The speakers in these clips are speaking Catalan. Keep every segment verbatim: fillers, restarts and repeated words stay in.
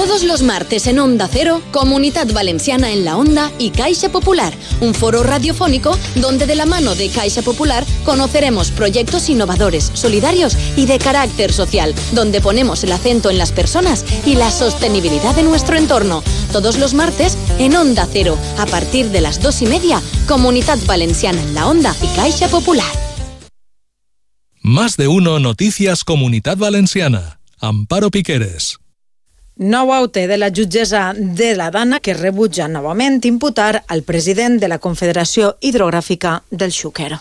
Todos los martes en Onda Cero, Comunidad Valenciana en la Onda y Caixa Popular, un foro radiofónico donde de la mano de Caixa Popular conoceremos proyectos innovadores, solidarios y de carácter social, donde ponemos el acento en las personas y la sostenibilidad de nuestro entorno. Todos los martes en Onda Cero, a partir de las dos y media, Comunidad Valenciana en la Onda y Caixa Popular. Más de uno Noticias Comunidad Valenciana. Amparo Piqueres. Nou aute de la jutgessa de la Dana que rebutja novament imputar al president de la Confederació Hidrogràfica del Xúquer.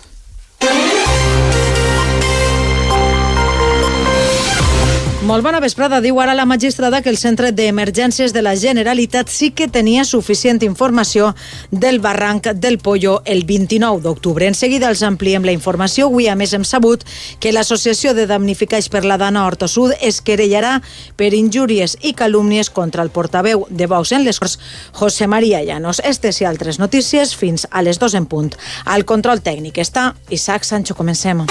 Molt bona vesprada. Diu ara la magistrada que el Centre d'Emergències de la Generalitat sí que tenia suficient informació del barranc del Pollo el vint-i-nou d'octubre. En seguida els ampliem la informació. Avui, a més, hem sabut que l'Associació de Damnificats per la Dana Horta Sud es querellarà per injúries i calúmnies contra el portaveu de Vox en les Corts, José María Llanos. Estes i altres notícies fins a les dos en punt. Al control tècnic està Isaac Sancho. Comencem.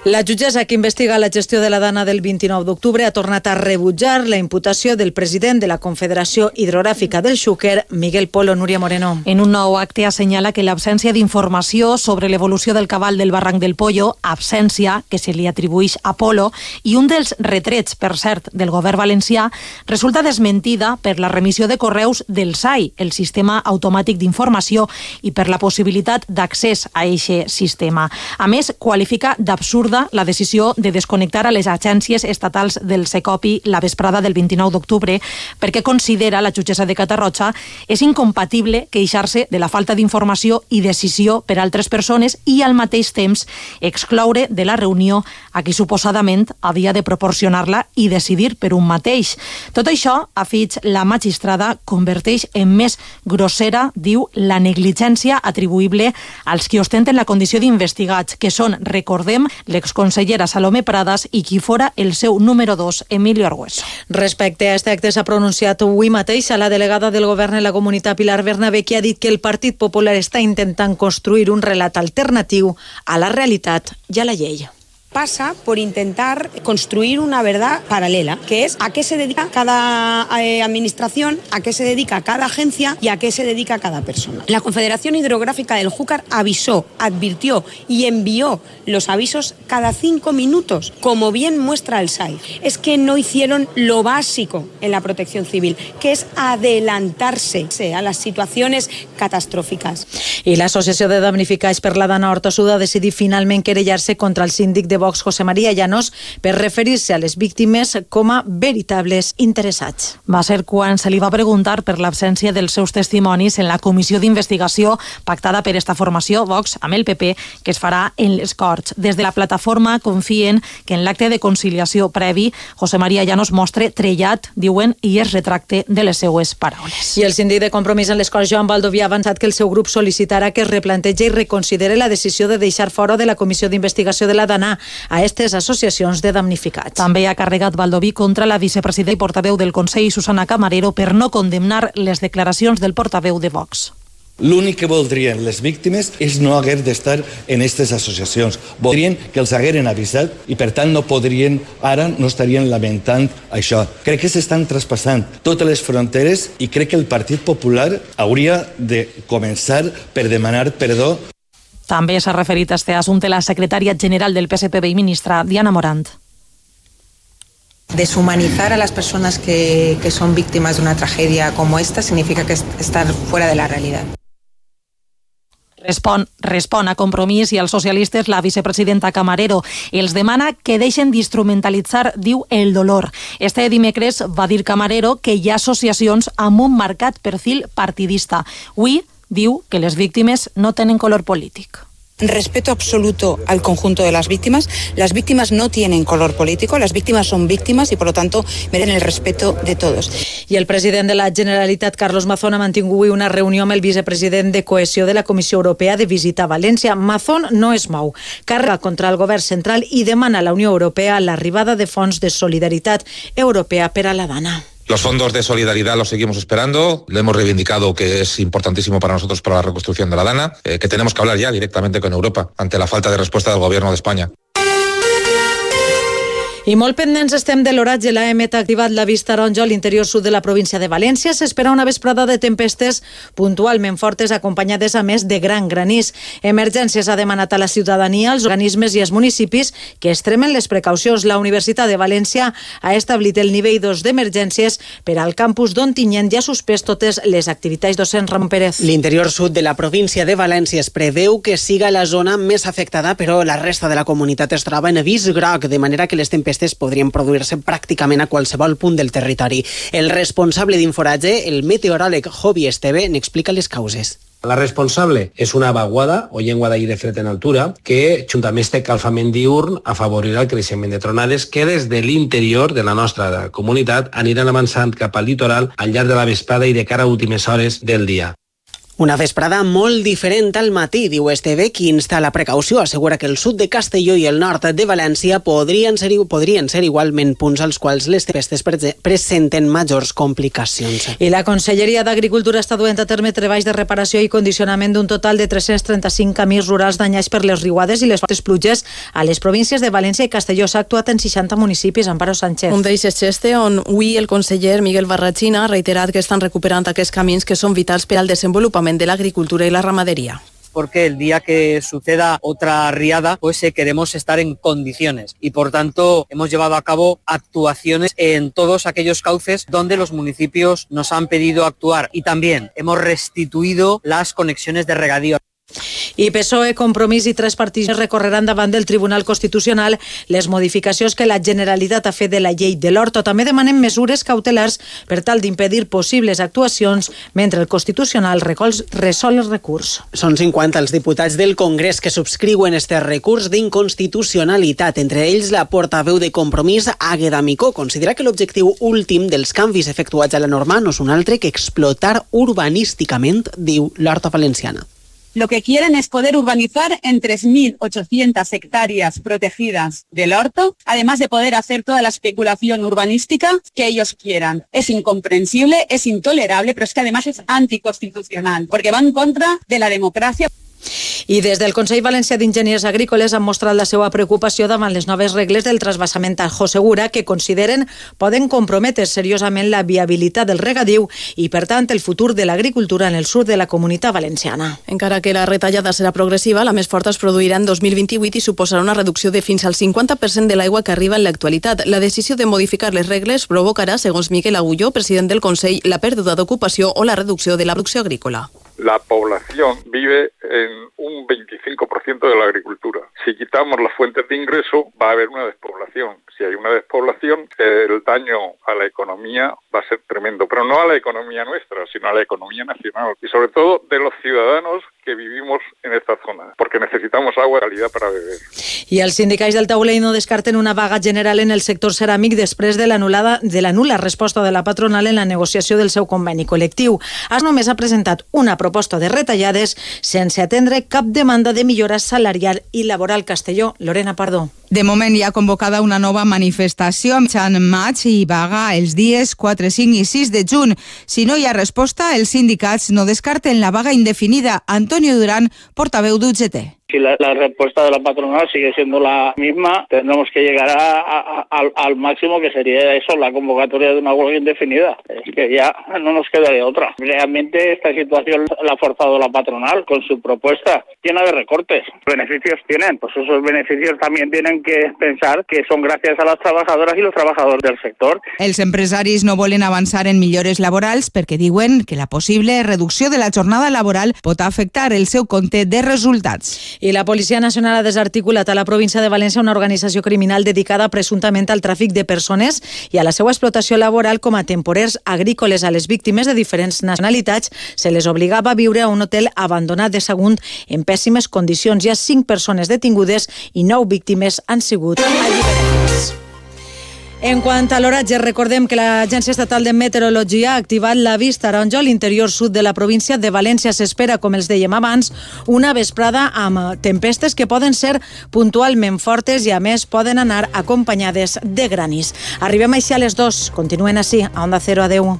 La jutgessa que investiga la gestió de la Dana del vint-i-nou d'octubre ha tornat a rebutjar la imputació del president de la Confederació Hidrogràfica del Xúquer, Miguel Polo. Núria Moreno. En un nou acte assenyala que l'absència d'informació sobre l'evolució del cabal del barranc del Pollo, absència que se li atribueix a Polo, i un dels retrets, per cert, del govern valencià, resulta desmentida per la remissió de correus del S A I, el Sistema Automàtic d'Informació, i per la possibilitat d'accés a aquest sistema. A més, qualifica d'absurd la decisió de desconnectar a les agències estatals del Secopi la vesprada del vint-i-nou d'octubre perquè considera la jutgessa de Catarroja és incompatible queixar-se de la falta d'informació i decisió per altres persones i al mateix temps excloure de la reunió a qui suposadament havia de proporcionar-la i decidir per un mateix. Tot això, afig la magistrada, converteix en més grossera, diu, la negligència atribuïble als qui ostenten la condició d'investigats, que són, recordem, l'exconsellera Salomé Pradas i qui fora el seu número dos, Emilio Argüeso. Respecte a este acte s'ha pronunciat avui mateix a la delegada del govern en la comunitat, Pilar Bernabé, que ha dit que el Partit Popular està intentant construir un relat alternatiu a la realitat i a la llei. Pasa por intentar construir una verdad paralela, que es a qué se dedica cada eh, administración, a qué se dedica cada agencia y a qué se dedica cada persona. La Confederación Hidrográfica del Xúquer avisó, advirtió y envió los avisos cada cinco minutos, como bien muestra el S A I. Es que no hicieron lo básico en la protección civil, que es adelantarse a las situaciones catastróficas. I l'Associació de Damnificats per la Dana Horta Sud ha decidit finalment querellar-se contra el síndic de Vox, José María Llanos, per referir-se a les víctimes com a veritables interessats. Va ser quan se li va preguntar per l'absència dels seus testimonis en la comissió d'investigació pactada per esta formació, Vox, amb el P P, que es farà en les Corts. Des de la plataforma confien que en l'acte de conciliació previ, José María Llanos mostre trellat, diuen, i es retracte de les seues paraules. I el síndic de Compromís en les Corts, Joan Baldoví, ha avançat que el seu grup sol·licitarà que es replantegi i reconsidere la decisió de deixar fora de la comissió d'investigació de la Dana a aquestes associacions de damnificats. També ha carregat Baldoví contra la vicepresidenta i portaveu del Consell, Susana Camarero, per no condemnar les declaracions del portaveu de Vox. L'únic que voldrien les víctimes és no haver d'estar en aquestes associacions. Voldrien que els hagueren avisat i, per tant, no podrien, ara no estarien lamentant això. Crec que s'estan traspassant totes les fronteres i crec que el Partit Popular hauria de començar per demanar perdó. També s'ha referit a este assumpte la secretària general del P S P B i ministra, Diana Morant. Deshumanizar a las personas que, que son víctimas de una tragedia como esta significa que estar fuera de la realidad. Respon, respon a Compromís i als socialistes la vicepresidenta Camarero. Els demana que deixen d'instrumentalitzar, diu, el dolor. Este dimecres va dir Camarero que hi ha associacions amb un marcat perfil partidista. Avui diu que les víctimes no tenen color polític. Respeto absoluto al conjunto de las víctimas. Las víctimas no tienen color político, las víctimas son víctimas y por lo tanto merecen el respeto de todos. I el president de la Generalitat, Carlos Mazón, ha mantingut avui una reunió amb el vicepresident de Cohesió de la Comissió Europea de visita a València. Mazón no es mou, carrega contra el govern central i demana a la Unió Europea l'arribada de fons de solidaritat europea per a la Dana. Los fondos de solidaridad los seguimos esperando, le hemos reivindicado que es importantísimo para nosotros para la reconstrucción de la Dana, eh, que tenemos que hablar ya directamente con Europa ante la falta de respuesta del gobierno de España. I molt pendents estem de l'oratge. L'A E M E T ha activat la vista taronja a l'interior sud de la província de València. S'espera una vesprada de tempestes puntualment fortes, acompanyades a més de gran granís. Emergències ha demanat a la ciutadania, als organismes i als municipis que extremen les precaucions. La Universitat de València ha establit el nivell dos d'emergències per al campus d'Ontinyent i ha suspès totes les activitats docents. Ramon Pérez. L'interior sud de la província de València es preveu que siga la zona més afectada, però la resta de la comunitat es troba en avís groc, de manera que les tempestes podrien produir-se pràcticament a qualsevol punt del territori. El responsable d'Inforatge, el meteoròleg Jovi Esteve, n'explica les causes. La responsable és una vaguada o llengua d'aire fred en altura que, junt amb este calfament diürn, afavorirà el creixement de tronades que des de l'interior de la nostra comunitat aniran avançant cap al litoral al llarg de la vesprada i de cara a últimes hores del dia. Una vesprada molt diferent al matí, diu Esteve, qui insta la precaució. Assegura que el sud de Castelló i el nord de València podrien ser, podrien ser igualment punts als quals les tempestes presenten majors complicacions. I la Conselleria d'Agricultura està duent a terme treballs de reparació i condicionament d'un total de tres-cents trenta-cinc camins rurals danyats per les riuades i les fortes pluges a les províncies de València i Castelló. S'ha actuat en seixanta municipis. Amparo Sánchez. Un d'ells és Xeste, on avui el conseller Miguel Barrachina ha reiterat que estan recuperant aquests camins que són vitals per al desenvolupament de la agricultura y la ramadería. Porque el día que suceda otra riada, pues eh, queremos estar en condiciones y por tanto hemos llevado a cabo actuaciones en todos aquellos cauces donde los municipios nos han pedido actuar y también hemos restituido las conexiones de regadío. I P S O E, Compromís i tres partits recorreran davant del Tribunal Constitucional les modificacions que la Generalitat ha fet de la llei de l'Horto. També demanen mesures cautelars per tal d'impedir possibles actuacions mentre el Constitucional resol el recurs. Són cinquanta els diputats del Congrés que subscriuen este recurs d'inconstitucionalitat. Entre ells, la portaveu de Compromís, Àgueda Micó, considera que l'objectiu últim dels canvis efectuats a la norma no és un altre que explotar urbanísticament, diu l'Horta Valenciana. Lo que quieren es poder urbanizar en tres mil ochocientas hectáreas protegidas del Horto, además de poder hacer toda la especulación urbanística que ellos quieran. Es incomprensible, es intolerable, pero es que además es anticonstitucional, porque va en contra de la democracia. I des del Consell Valencià d'Enginyers Agrícoles han mostrat la seva preocupació davant les noves regles del transvasament Tajo Segura, que consideren poden comprometre seriosament la viabilitat del regadiu i, per tant, el futur de l'agricultura en el sud de la Comunitat Valenciana. Encara que la retallada serà progressiva, la més forta es produirà en dos mil vint-i-vuit i suposarà una reducció de fins al cinquanta per cent de l'aigua que arriba en l'actualitat. La decisió de modificar les regles provocarà, segons Miquel Agulló, president del Consell, la pèrdua d'ocupació o la reducció de la producció agrícola. La población vive en un veinticinco por ciento de la agricultura. Si quitamos las fuentes de ingreso, va a haber una despoblación. Si hay una despoblación, el daño a la economía va a ser tremendo, pero no a la economía nuestra, sino a la economía nacional y sobre todo de los ciudadanos que vivimos en esta zona, porque necesitamos agua de calidad para beber. I els sindicats del taulell no descarten una vaga general en el sector ceràmic després de l'anul·lada de la nul·la resposta de la patronal en la negociació del seu conveni col·lectiu. AS només ha presentat una proposta de retallades sense atendre cap demanda de millora salarial i laboral. Castelló, Lorena Pardo. De moment hi ha convocada una nova manifestació amb mitjan maig i vaga els dies quatre, cinc i sis de juny. Si no hi ha resposta, els sindicats no descarten la vaga indefinida. Antonio Durán, portaveu d'U G T. Si la, la respuesta de la patronal sigue siendo la misma, tendremos que llegar a, a, a, al máximo, que sería eso, la convocatoria de una huelga indefinida. Es que ya no nos quedaría otra. Realmente esta situación la ha forzado la patronal con su propuesta llena de recortes. ¿Beneficios tienen? Pues esos beneficios también tienen que pensar que son gracias a las trabajadoras y los trabajadores del sector. Els empresaris no volen avançar en millores laborals perquè diuen que la possible reducció de la jornada laboral pot afectar el seu compte de resultats. I la Policia Nacional ha desarticulat a la província de València una organització criminal dedicada presumptament al tràfic de persones i a la seva explotació laboral com a temporers agrícoles. A les víctimes de diferents nacionalitats se les obligava a viure a un hotel abandonat de Sagunt en pèssimes condicions. Hi ha cinc persones detingudes i nou víctimes han sigut alliberades. En quant a l'oratge, recordem que l'Agència Estatal de Meteorologia ha activat l'avís taronja a l'interior sud de la província de València. S'espera, com els dèiem abans, una vesprada amb tempestes que poden ser puntualment fortes i, a més, poden anar acompanyades de granís. Arribem així a les dues. Continuen així, a Onda Cero. Adeu.